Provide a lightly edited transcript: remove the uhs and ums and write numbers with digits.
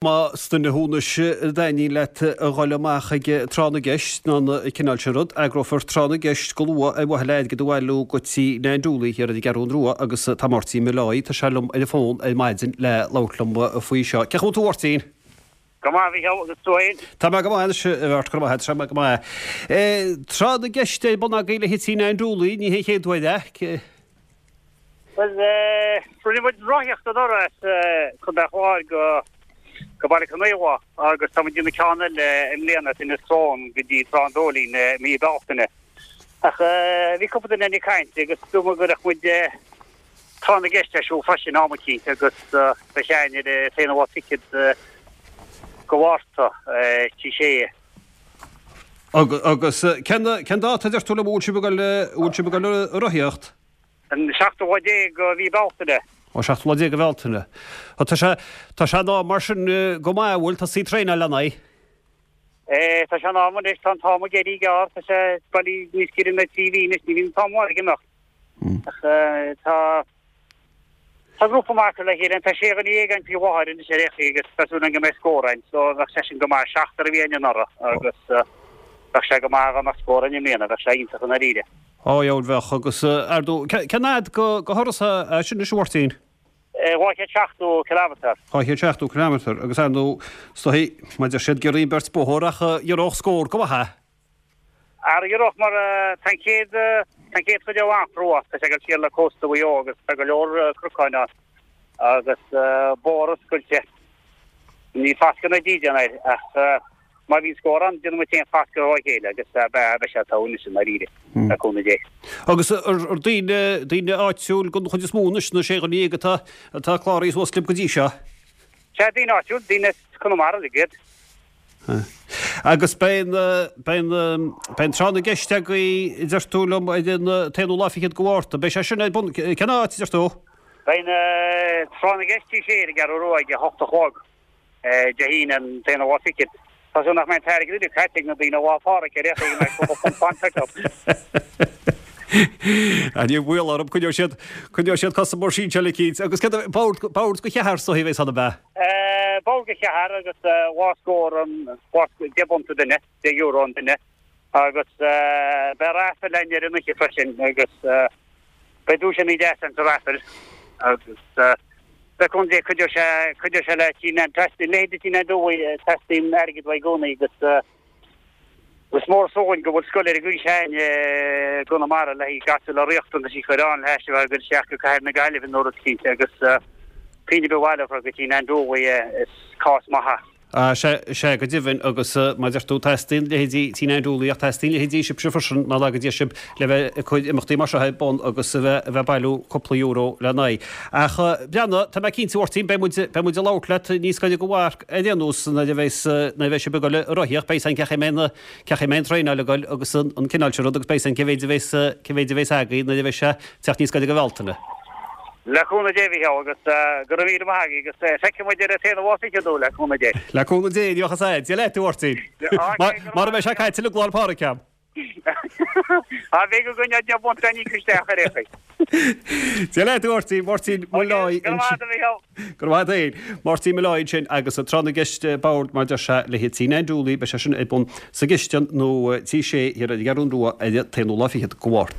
Más duine thú anois a dtaitníonn leat a dhul amach ag tráth na gceist nó an cineál sin rud, eagrófar tráth na gceist go luath ar mhaithe le airgead a bhailiú go Tí Nan Dooley thiar ar an gCeathrún Rua agus tá Máirtín Molloy, tá sé liom ar an bhfón ar maidin le labhairt liom faoi seo. Cén chaoi a bhfuil tú a Mháirtín? Go maith, a Mhícheál, agus tú fhéin? Tá mé go maith anois, a Mháirt, go raibh maith agat, tá mé go maith. Tráth na gceist ar bun agaibh le haghaidh Tí Nan Dooley, ní hé an chéad uair é. Bhuel, rinne muid rothaíocht anuraidh as Contae an Chláir go go Baile Conaola agus tá muid ag déanamh ceann eile i mbliana as Inis Crón go dtí Trá an Dóilín i mí Bealtaine. Ach bhí cúpla duine ag caint agus dúirt muid go gcuirfeadh muid tráth na gceist ar siúl freisin am eicínt agus beidh sé againn ar an t-aonú lá fichead go Mhárta, Tigh Sé. Agus cén dáta a deir tú liom a bhfuil sibh ag dul, a bhfuil sibh ag dul ag rothaíocht? An seachtú lá déag de mhí Bealtaine. Ó, seachtú lá déag de Bhealtaine. Ó, tá sé, tá sé in am mar sin go maith, an bhfuil? Tosaí ag traenáil lena aghaidh? Eh, tá sé in am anois, tá an t-am ag éirí gearr, tá sé bailí níos giorra ná 3 mhí anois, ní bhíonn an t-am ag imeacht. Ach tá, tá grúpa maith curtha le chéile, tá sé dhuine dhéag againn faoi láthair anois ar aon chaoi agus tá súil againn go mbeidh scór againn, so bheadh sé sin go maith, seachtar a bhí againn anuraidh agus bheadh sé go maith dá mbeadh scór againn i mbliana, bheadh sé iontach i ndáiríre. Ó, dheabhail bheadh, agus ar ndóigh, cén fhad go thuras é sin anois, a Mháirtín? 270 kilometre. 270 kilometre, agus ar ndóigh, is dóigh, mar deir siad, giorraíonn beirt bóthar ach ghiorródh scór go maith é. Ara ghiorródh, mar tá an chéad, tá an chéad chuid an-chrua, tá sé ag dul siar le cósta Mhaigh Eo agus tá go leor cnocáin ann agus bóthar oscailte. Níl fascadh ná dídean air ach Má bhíonn scór ann, déanfaidh muid féin fascadh dhá chéile agus beidh sé togha anois i ndáiríre, le cúnamh Dé. Agus ar daoine, daoine áitiúil den chuid is mó anois, na sé dhuine dhéag atá, atá cláraithe suas libh go dtí seo? Sea, daoine áitiúil, daoine as Conamara uilig iad. Agus beidh an, beidh an, beidh an tráth na gceist agaibh, a deir tú liom, ar an t-aonú lá fichead de Mhárta. Beidh sé sin ar bun, cén áit, a deir tú? Beidh an tráth na gceist Tigh Sé ar an gCeathrú Rua ag a hocht a chlog. Dé hAoine an t-aonú lá fichead. Tá súil nach mbeidh an t-airgead uilig caite ag na daoine Lá Phádraig ar aon chaoi go mbeidh cúpla punt fanta acu. Ah, ní baol orm, coinneoidh siad, coinneoidh siad cosa mór sinseáil eicínt. Agus céard a, bord, bord go cheathrar is dóigh a bheas ann, ab ea? Bord go cheathrar agus dhá scór an, dhá, 10 bpunt an duine, 10 euro an duine. Agus beidh raffle againn ar an oíche freisin agus beidh duaiseanna deasa ann sa raffle agus le cúnamh Dé cuideoidh sé, cuideoidh sé le Tí Nan, teastaíonn, leithéid de Tí Nan Dooley, teastaíonn airgead uaidh i gcónaí agus is mór an só dhúinn go bhfuil scoil ar an gcaoi seo i gConamara le haghaidh gasúir le riachtanais a chur ann le hais a bheith ag dul isteach go Cathair na Gaillimhe nó rud eicínt agus pingin ar bith a bhaileofar go Tí Nan Dooley is cás maith é. Ah, sea, sea, go deimhin, agus mar a deir tú, teastaíonn leithéidí Tí Nan Dooley ach teastaíonn leithéidí sibhse freisin, ná laga Dia sibh, le bheith ag cur imeachtaí mar seo ar bun agus a bheith, a bheith ag bailiú cúpla euro le n-aghaidh. Ach, breathnaigh, tá mé cinnte, a Mháirtín, beidh muid, beidh muid ag labhairt leat níos gaire go mharc ar aon nós nuair a bheas, nuair a bheidh sibh ag dul ag rothaíocht, beidh 's a'inn cén chaoi a mbeidh na, cén chaoi a mbeidh an traenáil ag dul agus an, an cineál sin rud agus beidh 's a'inn cé mhéid a bheas, cé mhéid a bheas agaibh nuair a bheidh sé ag teacht níos gaire go Bhealtaine. Le cúnamh Dé, a Mhícheál, agus go raibh míle maith agaibh, agus feicfidh muid ar an t-aonú lá fichead thú, le cúnamh Dé. Le cúnamh Dé, ní bheadh fhios a'd. Dia leat, a Mháirtín. Mara mbeidh sé caite uilig Lá 'le Pádraig a'm. Á, bheidh againn a bhunt a níoc isteach ar aon chaoi. Dia leat, a Mháirtín. Máirtín Molloy Go raibh maith agat, a Mhícheál. Go raibh maith agat féin. Máirtín Molloy ansin agus tráth na gceist boird mar deir sé le haghaidh Tí Nan Dooley, beidh sé sin ar bun sa gcistin nó Tigh Sé thiar ar an gCeathrún Rua ar an t-aonú lá fichead go Mhárta.